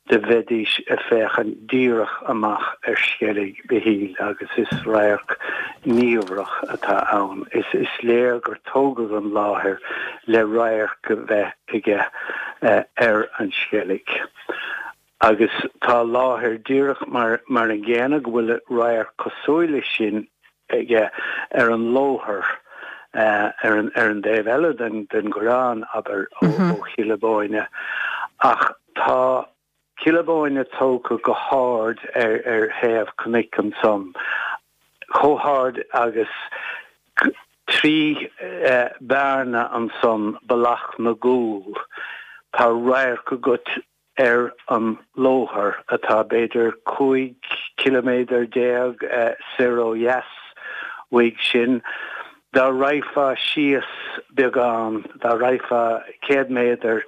do bheidís ag féachaint díreach amach ar Sceilg Mhichíl agus is radharc niamhrach atá ann. Is is léir gur tógadh an láthair le radharc a bheith aige ar an Sceilg. Agus tá láthair díreach mar mar an gcéanna go bhfuil radharc cosúil leis sin aige ar an Lóthar ar an ar an dtaobh eile den den ghleann, abair, ó ó Chill Ó Bóinne. Ach tá Cill Ó Bóinne tógtha go hard ar ar thaobh cnoic ansan, chomh hard agus trí bearna ansan, Bealach na gCúl, tá radharc agat ar an Lóthar, atá b'fhéidir cúig ciliméadar déag soir ó dheas uaidh sin. Dá raghfá síos beagán, dá raghfá céad méadar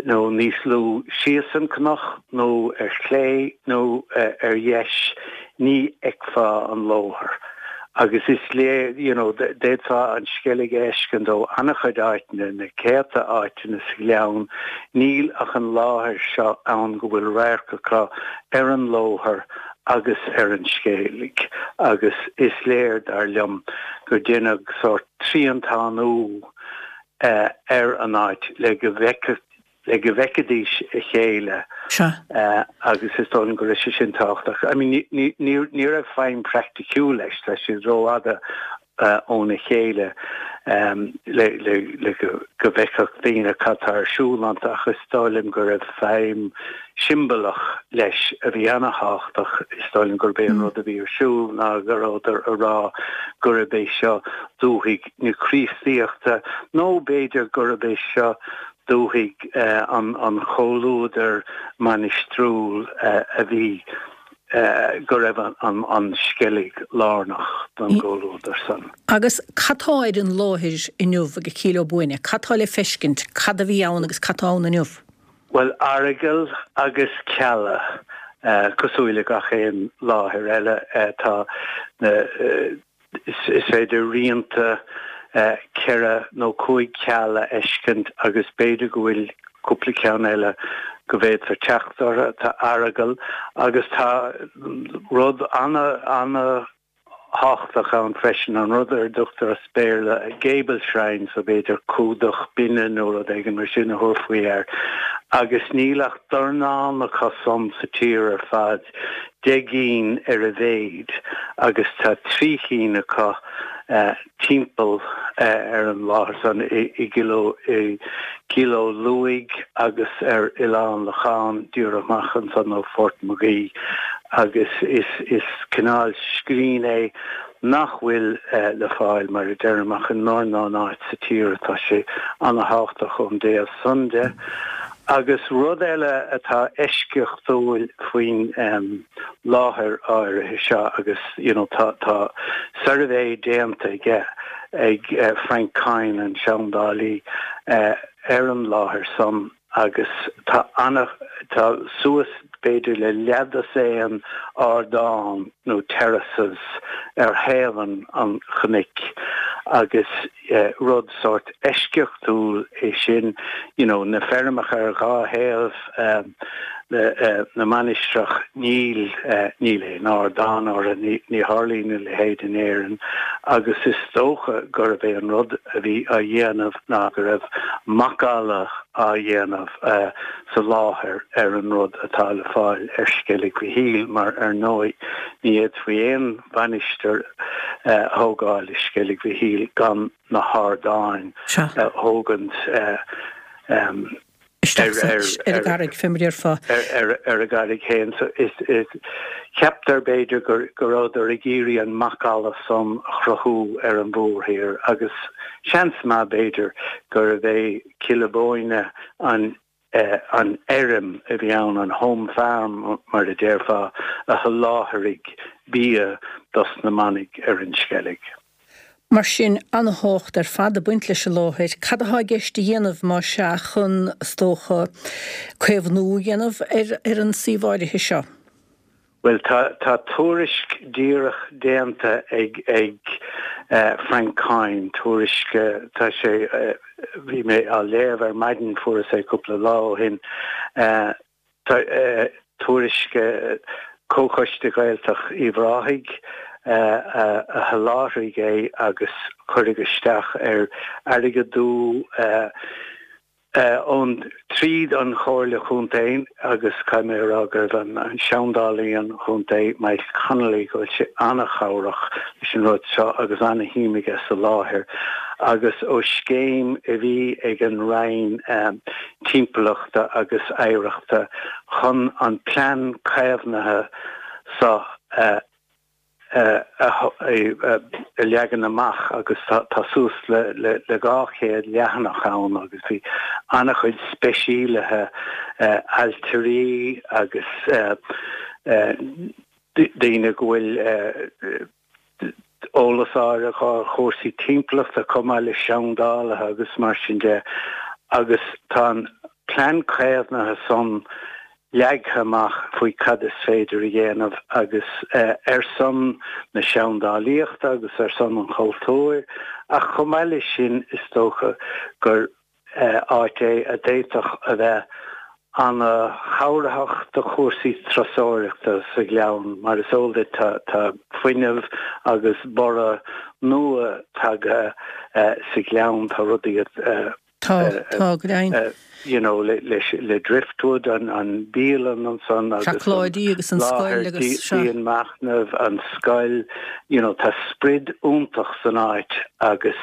nó níos lú síos an cnoc, nó ar chlé nó ar dheis, ní fheicfeá an Lóthar. Agus is léir, you know, d'fhéadfá an Sceilg a fheiscint ó an-chuid áiteanna, na céadta áiteanna sa ghleann, níl ach an láthair seo ann go bhfuil radharc acu ar an Lóthar agus ar an Sceilg. Agus is léir, dar liom, gur deineadh sórt triantánú ar an áit le go bhfeicfeadh le go bhfeicfidís a chéile agus is dóigh liom go raibh sé sin tábhachtach. I mean, ní, ní, ní raibh feidhm praiticiúil leis, tá siad rófhada óna chéile le, le, le go, go bhfeicfeadh daoine cad tá ar siúl iontu ach is dóigh liom go raibh feidhm siombalach leis a bhí ana-thábhachtach. Is dóigh liom gurb é an rud a bhí ar siúl ná go rabhadar a rá gurb é seo dúthaigh na Críostaíochta nó b'fhéidir gurb é seo dúthaigh an chomhluadair mainistiriúil a bhí, go raibh an Sceilg lárnach don gcomhluadar san. Agus cad tá ar an láthair inniu ag Cill Ó Buaine? Cad tá le feiscint? Cad a bhí ann agus cad tá ann inniu? Bhuel, aireagail agus cealla, cosúil le gach aon láthair eile, tá na. Is féidir rianta ceithre nó cúig ceall a fheiscint agus b'fhéidir go bhfuil cúpla ceann eile go bhféadfar teacht orthu. Tá aireagal agus tá rud ana, ana thábhachtach ann freisin, an rud ar a dtugtar as Béarla gable shrine, so b'fhéidir cumhdach binne nó rud éigin mar sin a thabharfaí air, agus níl ach dornán acu san sa tír ar fad, deich gcinn ar a mhéid, agus tá trí chinn acu timpeall ar an láthair san i gCill Ó Lúing agus ar Oileán Locháin, díreach amach ansan ó Phort Magee agus is is cineál scrín é nach bhfuil le fáil, mar a deirim, ach i ndornán áit sa tír. Tá sé ana-thábhachtach ón dtaobh san de. Agus rud eile atá eisceachtúil faoin láthair áirithe seo agus you know tá tá suirbhé déanta aige ag Frank Kyne, an seandálaí, ar an láthair san agus tá ana tá suas b'fhéidir le leathdosaen ardán nó terraces ar thaobh an an chnoic agus rud sórt eisceachtúil é sin, you know na feirmeacha ar dhá thaobh na mainistreach níl níl aon ardán orthu, ní ní tharlaíonn a leithéid in Éirinn agus is dócha gurb é an rud a bhí á dhéanamh ná go raibh macalla á dhéanamh sa láthair ar an rud atá le fáil ar Sceilg Mhichíl mar ar ndóigh ní fhéadfaí aon mhainistir a thógáil i Sceilg Mhichíl gan na hardáin a thógaint isteach ar an gcarraig, fé mar a déarfá. Ar an gcarraig féin. So is ceaptar b'fhéidir go go rabhadar ag iarraidh an macalla san a chruthú ar an mhórthír agus seans maith b'fhéidir gurbh é Cill Bóinne an an fheirm a bhí ann, an home farm mar a déarfá, a sholáthraigh bia dos na manaigh ar an Sceilg. Mar sin, an-thábhacht ar fad ag baint leis an láthair. Cad atá i gceist a dhéanamh, más ea, chun, is dócha, caomhnú a dhéanamh ar ar an suíomh áirithe seo? Bhuel, tá tá tuairisc díreach déanta ag ag Frank Kyne, tuairisc, tá sé, bhí mé á léamh ar maidin, fuaireas é cúpla lá ó shin, Tuairisc Comhchoiste Gaeltacht Uíbh Ráthaigh a sholáthraigh é agus cuireadh isteach ar airgeadú ón tríd an Chomhairle Chontae agus caithfidh mé a rá gurbh an seandálaí an chontae Michael Connolly go bhfuil sé an-chabhrach leis an rud seo agus an-shuim aige sa láthair agus ó scéim a bhí ag an Roinn Timpeallachta agus Oidhreachta chun an plean caomhnaithe seo a leagan amach agus tá suas le dhá chéad leathanach ann agus bhí an-chuid speisialaithe, ailtirí agus daoine go bhfuil eolas áirithe acu ar chúrsaí timpeallachta chomh maith le seandálaithe agus mar sin de agus tá an plean caomhnaithe san leagtha amach faoi cad is féidir a dhéanamh agus ar son na seandálaíochta agus ar son an chultúir ach chomh maith leis sin is dócha gur áit é a d'fhéadfadh a bheith ana-chabhraitheach do chúrsaí turasóireachta sa Ghleann. Mar is eol duit tá tá fuinneamh agus borradh nua tagtha sa Ghleann, tá rudaí Tá, tá, go deimhin. you know le le Driftwood, an an bialann ansan agus an Seacláidí agus an scoil agus láthair dianmhachnaimh, an scoil, you know tá sprid iontach san áit agus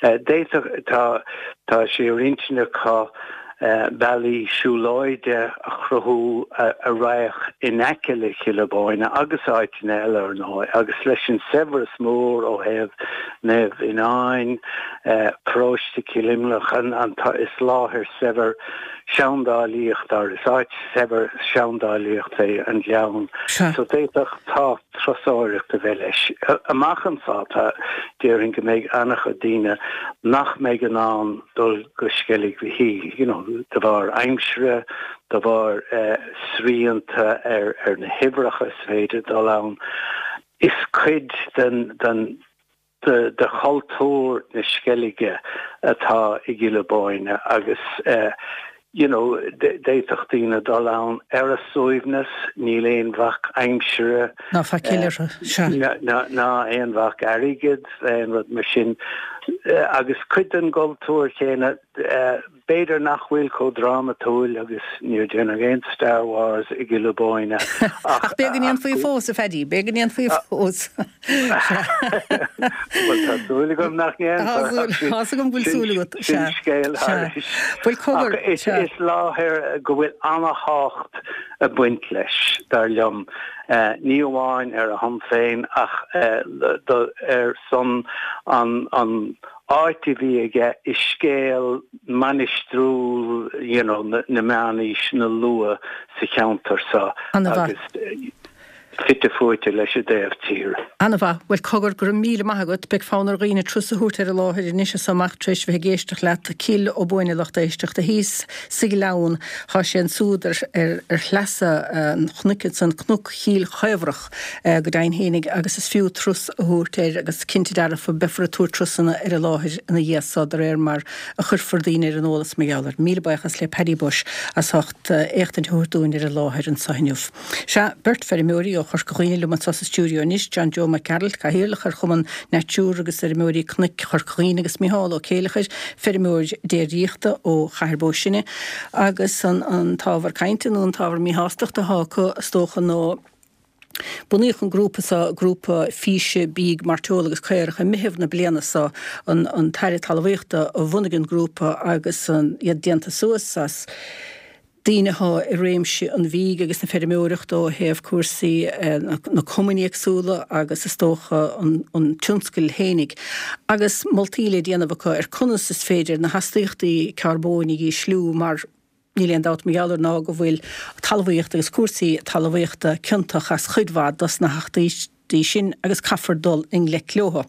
d'fhéadfadh, tá tá sé ar intinn acu bealaí siúlóide a chruthú a raghadh in aice le Cill Bóinne agus áiteanna eile, ar ndóigh, agus leis an saibhreas mór ó thaobh Naomh Fhionáin, Paróiste Chill Imleach, an is láthair saibhir seandálaíochta, is áit shaibhir seandálaíochta é an Gleann, so d'fhéadfadh tábhacht turasóireachta a bheith leis. Amach anseo, tá, déarfainn go mbeidh an-chuid daoine nach mbeidh in ann dul go Sceilg Mhichíl, you know, de bharr aimsire, de bharr srianta ar ar na huimhreacha is féidir dul ann. Is cuid den den de de chultúr na Sceilge atá i gCill Bóinne agus you know, d'fhéadfadh daoine dul ann ar a suaimhneas, níl aon bhac aimsire. Ná faichill orthu, sea. Ná aon bhac airgid, aon rud mar sin. Agus cuid den gcultúr chéanna, b'fhéidir nach bhfuil chomh drámatúil agus níor déanadh aon Star Wars i gCill Ó Bóinne ach. Ach b'fhéidir go ndéanfaí fós, a Phaddy, b'fhéidir go ndéanfaí fós. Bhuel, tá súil agam nach ndéanfar. Tá súil, tá's agam go bhfuil súil agat, sea. Sin scéal Sea. thairis. Bhuel, cogar, Ach is, sea. is láthair go bhfuil ana-thábhacht ag baint leis, dar liom, ní amháin ar a shon féin ach do, ar son an, an áit a bhí aige i scéal mainistiriúil you know, na, na meánaoiseanna luath sa cheantar seo Ana-mhaith. agus fite fuaite leis an dtaobh tíre. Ana-mhaith. Bhuel, cogar, go raibh míle maith agat. Beidh fonn ar dhaoine turas a thabhairt ar an láthair anois as so amach tar éis bheith ag éisteacht leat. Cill Ó Buaine lucht éisteachta thíos sa Ghleann. Tá sé ansúd ar, ar, ar shleasa an chnoic ansan, Cnoc Chill Chaobhrach go deimhin fhéinig agus is fiú turas a thabhairt air agus cinnte dearfa beifear ag tabhairt turasanna ar an láthair ina dhiaidh so de réir mar a chuirfear daoine ar an eolas mar gheall air. Míle buíochas le Paddy Bushe as ucht éachtaint a thabhairt dúinn ar an láthair anso inniu. Sea, beirt feirmeoirí ó Chorca Dhuibhne liom anso sa stiúideo anois, John Joe Mac Gearailt, Cathaoirleach ar Chumann Natura agus Fheirmeoirí Cnoic Chorca Dhuibhne agus Micheál Ó Céileachair, feirmeoir déiríochta ó Chathair Bó Sine agus an an t-ábhar cainte nó an t-ábhar míshástachta atá acu is dócha nó Bunaíodh an grúpa seo, Grúpa Físe Bídh, Mairteola agus Caorach, i Meitheamh na bliana seo. An an tAire Talmhaíochta a bhunaigh an grúpa agus iad déanta suas as daoine atá i réimse an bhídh agus na feirmeoireachta ó thaobh cúrsaí na cumainn éagsúla agus is dócha an an tionscail fhéinig agus moltaí le déanamh acu ar conas is féidir na hastaíochtaí carbóin a dhísliú mar Níl aon dabht mar gheall air ná go bhfuil talmhaíocht agus cúrsaí talmhaíochta ciontach as chuid mhaith dos na hastaíochtaí sin agus caithfear dul i ngleic leo.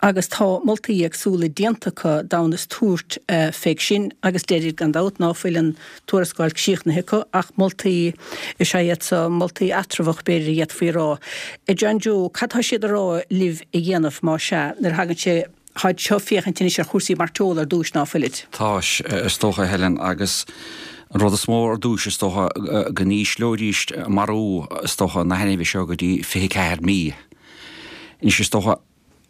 Agus tá moltaí éagsúla déanta acu d'fhonn is tabhairt fé sin agus deirid gan dabht ná fuil an tuarascáil críochnaithe acu ach moltaí is ea iad so, moltaí eatramhach b'fhéidir a d'fhéadfaí a rá. A John Joe, cad tá siad a rá libh a dhéanamh má sea nuair a thagann sé Táid seo féachaint anois ar chúrsaí mairteola ar dtúis, ná fuilid? Tá, is dócha, a Helen, agus an rud is mó ar dtúis, is dócha, go n-ísleoidís marú, is dócha, na hainmhithe seo go dtí fiche ceathair mí. Anois, is dócha,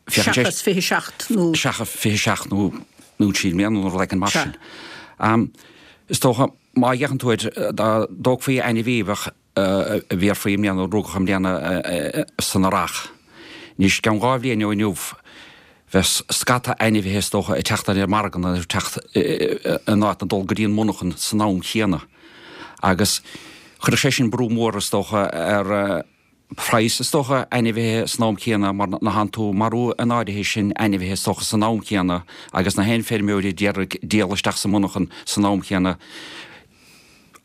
féachann sé. Seachas fiche seacht nó. Seachas fiche seacht nó nó trí mbliana nó rud éigin mar sin. Is dócha, má fhéachann tú air, dá dtógfaí ainmhí a bheadh, a bhéarfaí i mbliana, a rugadh i mbliana san earrach. Anois, i gceann dhá bhliain ó inniu, bheadh scata ainmhithe is dócha ag teacht ar an margadh nó ag teacht in áit ná dul go dtí an monarchan san am chéanna. Agus chuirfeadh sé sin brú mór is dócha ar phraghas is dócha ainmhithe san am chéanna mar ná thánn tú marú an áirithe sin ainmhithe is dócha san am chéanna agus na haon feirmeoirí a d'iarraidh díol isteach sa monarchan san am chéanna.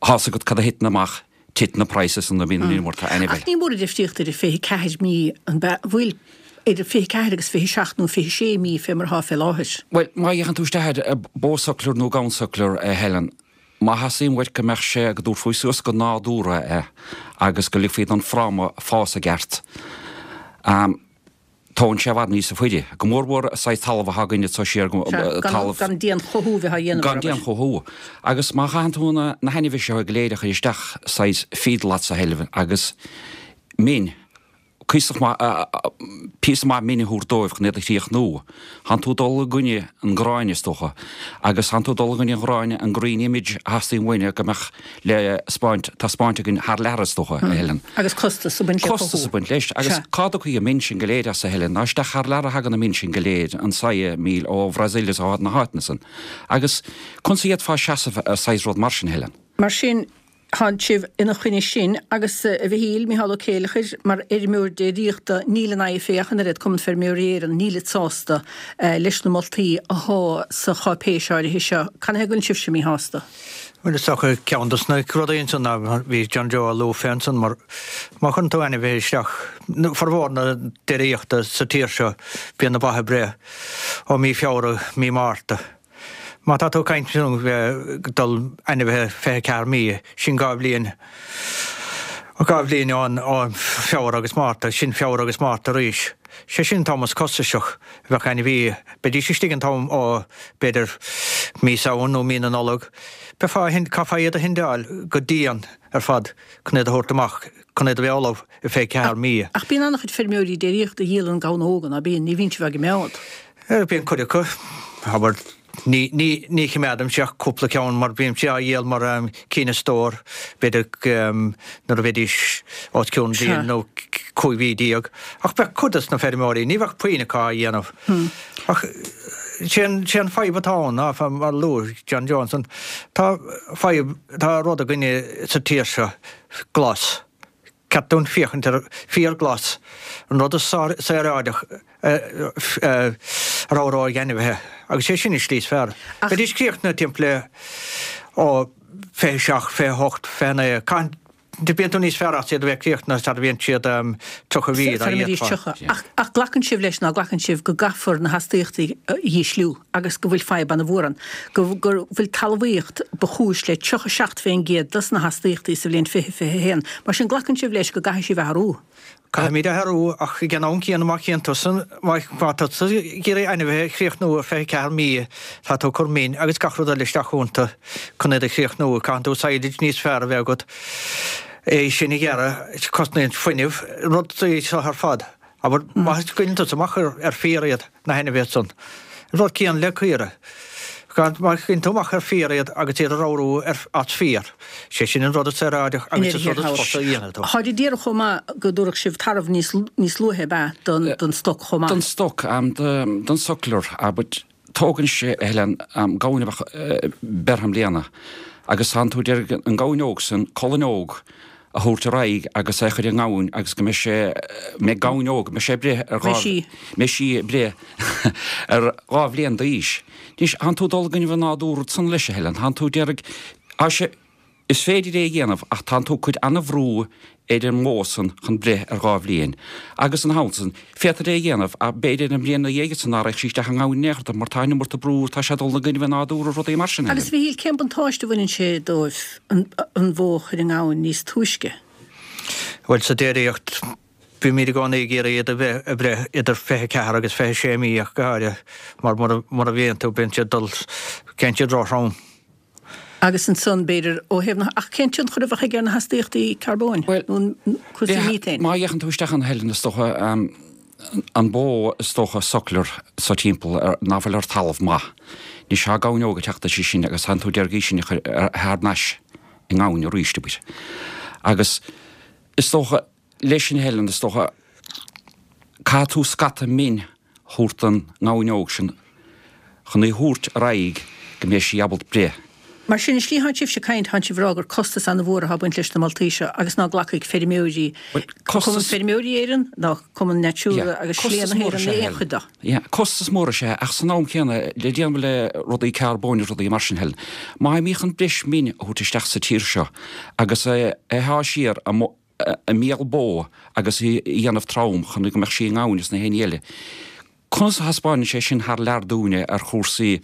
Thá's agat cad a thiteann amach, titeann na praghsanna nuair a bhíonn an iomarca ainmhithe. Ach ní mór an difríocht idir fiche ceathair mí an bhfuil idir fiche ceathair agus fiche seacht nó fiche sé mí fé mar atá fé láthair. Bhuel, má fhéachann tú isteach ar bó suckler nó gamhain suckler, a Helen, má theastaíonn uait go mbeadh sé, go dtabharfaí suas go nádúrtha é agus go ligfí don fráma fás i gceart, tógann sé i bhfad níosa faide, go mór mhór an saghas talamh atá againn anso siar, Sea, talamh. gan dian-chothú a bheith á dhéanamh Gan air. dian-chothú. Agus má chaitheann tú na na hainmhithe seo go léir a chur isteach saghas feedlots a Helen agus min, cuíosach maith, píosa maith mine a thabhairt dóibh chun iad a chríochnú, thánn tú ag dul i gcoinne an ghráin is dócha. Agus thánn tú ag dul i gcoinne an ghráin, an green image a theastaíonn uainne go mbeadh le spáint, taispeáint againn thar lear is dócha, a Helen. Agus costas ag baint le Costas cothú. ag baint leis. Agus Sea. cá dtiocfaidh an min sin go léir as, a Helen? Ná isteach thar lear a thagann an min sin go léir, an soya meal ó Bhrasaíl is ó na háiteanna san. Agus conas a d'fhéadfá seasamh ar saghas rud mar sin, a Helen? Mar sin, tánn sibh ina choinne sin agus, a Mhichíl, Micheál Ó Céileachair, mar fheirmeoir déiríochta, níl an IFA ach an oiread, Cumann Feirmeoirí Éireann, nílid sásta leis na moltaí athá sa cháipéis áirithe seo. Canathaobh go bhfuil sibhse míshásta? Bhuel, is dócha ceann dos na rudaí ansan ná bhí John Joe á lua fé ansan mar má chuireann tú ainmhithe isteach, formhór na déiríochta sa tír seo, bíonn na ba ag breith ó mí Feabhra, mí Márta. Má tá tú ag caint ansan dul ainmhithe fiche ceathair mí, sin dhá bhliain Dhá bhliain ann ó Feabhra agus Márta, sin Feabhra agus Márta arís. Sé sin an t-am is costasach a bheadh ainmhí. Beidís istigh an t-am ó b'fhéidir mí Samhain nó mí na Nollag. Beifeá, caithfeá iad a thindeáil go dian ar fad chun iad a thabhairt amach, chun iad a bheith ullamh i fiche ceathair mí. Ach bíonn an-chuid feirmeoirí déiríochta a dhíolann gamhna óga, ná bíonn? Ní bhíonn sibh á gcoimeád. Bíonn cuid acu, abair. Ní, ní, ní choimeádaimse ach cúpla ceann mar bímse á dhíol mar cinn a stór, b'fhéidir nuair a bheidís os cionn bliain nó cúig mhí déag. Ach bheadh cuid dos na feirmeoirí, ní bheadh puinn acu á dhéanamh. Ach sé an, sé an fadhb atá ann ná, mar a luaigh John Joe ansan, tá fadhb, tá rud againne sa tír seo, glas. Ceart dúinn féachaint ar féar glas, an rud is saoráideach a ramhróidh ainmhithe, agus sé sin an slí is fearr. Bheidís críochnaithe timpeall le ó fiche seacht, fiche hocht, fiche naoi, caitheann, bíonn tú níos fearr as iad a bheith críochnaithe sar a bhíonn siad tríocha mhí dá fhéadfá. Ach glacann sibh leis, ná glacann sibh, go gcaithfear na hastaíochtaí a dhísliú agus go bhfuil fadhb ana-mhór ann, go bhfuil talmhaíocht ba chúis le tríocha seacht fén gcéad dos na hastaíochtaí sa bhliain fiche fiche a haon. Mar sin glacann sibh leis go gcaithfidh sibh athrú? Caithfimid athrú ach ag an am céanna má chíonn tusa, má tá tusa ag iarraidh ainmhithe a chríochnú ar fiche ceathair mí, tá tú ag cur min agus gach rud eile isteach iontu chun iad a chríochnú. Caitheann tú silage níos fearr a bheith agat, é sin a ghearradh, cosnaíonn fuinneamh, rudaí seo ar fad. Abair, má scaoileann tusa amach ar féar iad, na hainmhithe san. An rud céanna le caora. Má scaoileann tú amach ar féar iad agus iad a ramhrú as féar, sé sin an rud is saoráideach agus is rud is fusa a dhéanfaidh tú. Táid ag iarraidh chomh maith go dtabharfadh sibh tarbh níos níos luaithe ab ea don don stoc chomh maith? Don stoc, don suckler, but tógann sé, a Helen, gamhain a bheadh beirthe i mbliana agus tánn tú ag iarraidh an gamhain óg san, colainn óg, a thabhairt ar aghaidh agus é a chur i ngamhain agus go mbeidh sé, mbeidh gamhain óg, mbeidh sé ag breith ar dhá, Mbeidh sí. mbeidh sí ag breith ar dhá bhliain d'aois. Anois, thánn tú ag dul i gcoinnibh an nádúr ansan leis, a Helen, thánn tú ag iarraidh, tá sé, is féidir é a dhéanamh ach tánn tú ag cur ana-bhrú ar an mbó san chun breith ar dhá bhliain. Agus ina theannta san, féadtar é a dhéanamh ach b'fhéidir an bhliain ina dhiaidh san ná raghadh sí isteach i ngamhain in aon chor mar tá an iomarca brú, tá sé ag dul i gcoinnibh an nádúr agus rudaí mar sin, a Agus Helen. a Mhichíl, cén buntáiste a bhaineann sé dóibh an an bhó a chur i ngamhain níos túisce? Bhuel, sa déiríocht, bímid i gcónaí ag iarraidh iad a bheith ag breith idir fiche ceathair agus fiche sé mí ach go háirithe, mar mura mura mbíonn tú, bíonn siad ag dul, téann siad róthrom. Agus ansan, b'fhéidir, ó thaobh na, ach cén tionchar a bheadh aige ar na hastaíochtaí carbóin Bhuel, nó cúrsaí míotéin? má fhéachann tú isteach ann, a Helen, is dócha, an bó is dócha suckler so timpeall ar, ná fuil ar talamh maith. Anois tá gamhain óg ag teacht aici sin agus tánn tú ag iarraidh í sin a chur thar n-ais i ngamhain arís, abair. Agus is dócha, leis sin a Helen, is dócha, caithfidh tú scata min a thabhairt don ngamhain óg sin chun í a thabhairt ar aghaidh go mbeidh sí ábalta breith. Mar sin, an slí thánn sibhse ag caint, thánn sibh ag rá gur costas ana-mhór atá ag baint leis na moltaí seo agus ná glacfaidh feirmeoirí, Bhuel, Cumann costas. Feirmeoirí Éireann ná Cumann Natura Yeah, agus Slé costas na mór hÉireann is ea aon Helen. chuid de. Yeah, costas mór is ea, ach san am céanna, le déanamh le rudaí carbóin is rudaí mar sin, Helen, má tháimid chun breis min a thabhairt isteach sa tír seo agus é a shá siar i mbéal bó agus í a dhéanamh trom chun go mbeadh sí i ngamhain is na haon ní eile, conas a thaispeánann sé sin thar lear dúinne ar chúrsaí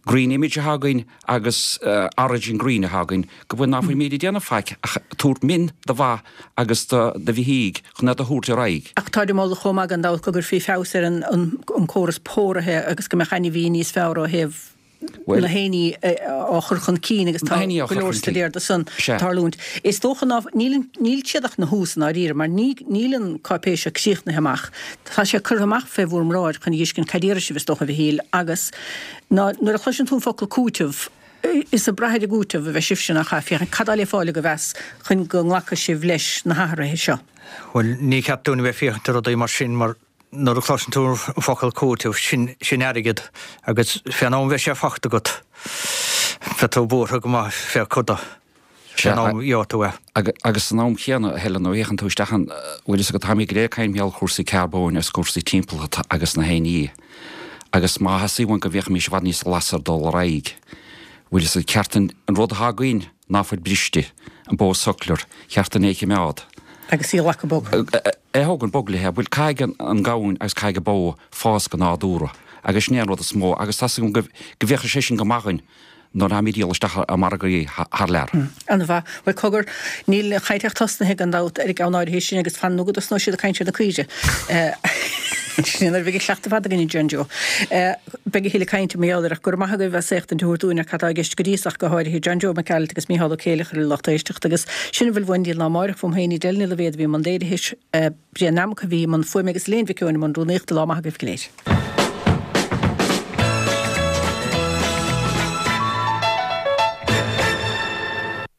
green image atá againn agus origin green atá againn, go bhfuil ná fuilimid ag déanamh faic ach tabhairt min do bha agus do bheithígh chun iad a thabhairt ar aghaidh. Ach táid ag moladh chomh maith gan dabht go gcuirfí feabhas ar an córas póraithe agus go mbeadh ainmhí níos fearr ó thaobh Bhuel, na héinní á chur chun cinn agus na tá héinní á go chur leor chun cinn. staidéar de san Sea. tarlúint. Is dócha ná níl níl siad ach ina thús i ndáiríre mar ní níl an cáipéis seo críochnaithe amach. Tá sé curtha amach fé bhur mbráid chun a dh'fheiscint cad iarrfaidh sibh is dócha a Mhichíl agus ná nuair a chloiseann tú an focal cúiteamh is ag brath ar an gcúiteamh a bheidh sibhse nach ea? Féachaint cad atá le fáil agaibh as chun go nglacfaidh sibh leis na hathruithe seo. Bhuel, ní ceart dúinn a bheith féachaint ar rudaí mar sin mar nuair a chloiseann tú an focal cúiteamh, sin, sin airgead agus fén am a bheidh sé fachta agat, beidh tú buartha go maith fé chuid de, fén am a gheobhaidh tú é. Agus san am chéanna, a Helen, nuair a fhéachann tú isteach ann, bhfuil fhios agat, táimid go léir ag caint mar gheall ar chúrsaí carbóin agus cúrsaí timpeallachta agus na haon ní, agus má theastaíonn uainn go bhféachfaimis i bhfad níos glasa ar dul ar aghaidh, bhfuil fhios agat, ceart an rud atá againn ná fuil briste, an bó suckler, cheart dúinn é a chimeád. Agus í a ghlacadh bog. É a thógaint bog léithe. Bhuel, caithfidh an gamhain agus caithfidh an bó fás go nádúrtha agus sin é an rud is mó agus tá 's agam go bhféachfaidh sé sin go maith dhuinn nuair atáimid ag díol isteach i margaí thar lear. An-mhaith. Bhuel, cogar, níl an chaint ach tosnaithe gan dabht ar an gceann áirithe sin agus fan nó go dtosnóidh siad ag caint ar na caoirigh. Sin nuair a bheidh an cleachtadh fada againn, John Joe. Beidh a thuilleadh cainte mar gheall air ach go raibh maith agaibh as éachtaint a thabhairt dúinn ar cad tá i gceist go dtí so ach go háirithe John Joe Mac Gearailt agus Mícheál Ó Céileachair a lucht éisteachta agus sin a bhfuil uainn go dtí an lá amárach uaim féin Edel Ní Loibhéad a bhí i mbun léirithe, Brian Nammock a bhí i mbun fuaime agus Elaine Mhic Eoin i mbun rúnaíochta. Lá maith agaibh go léir.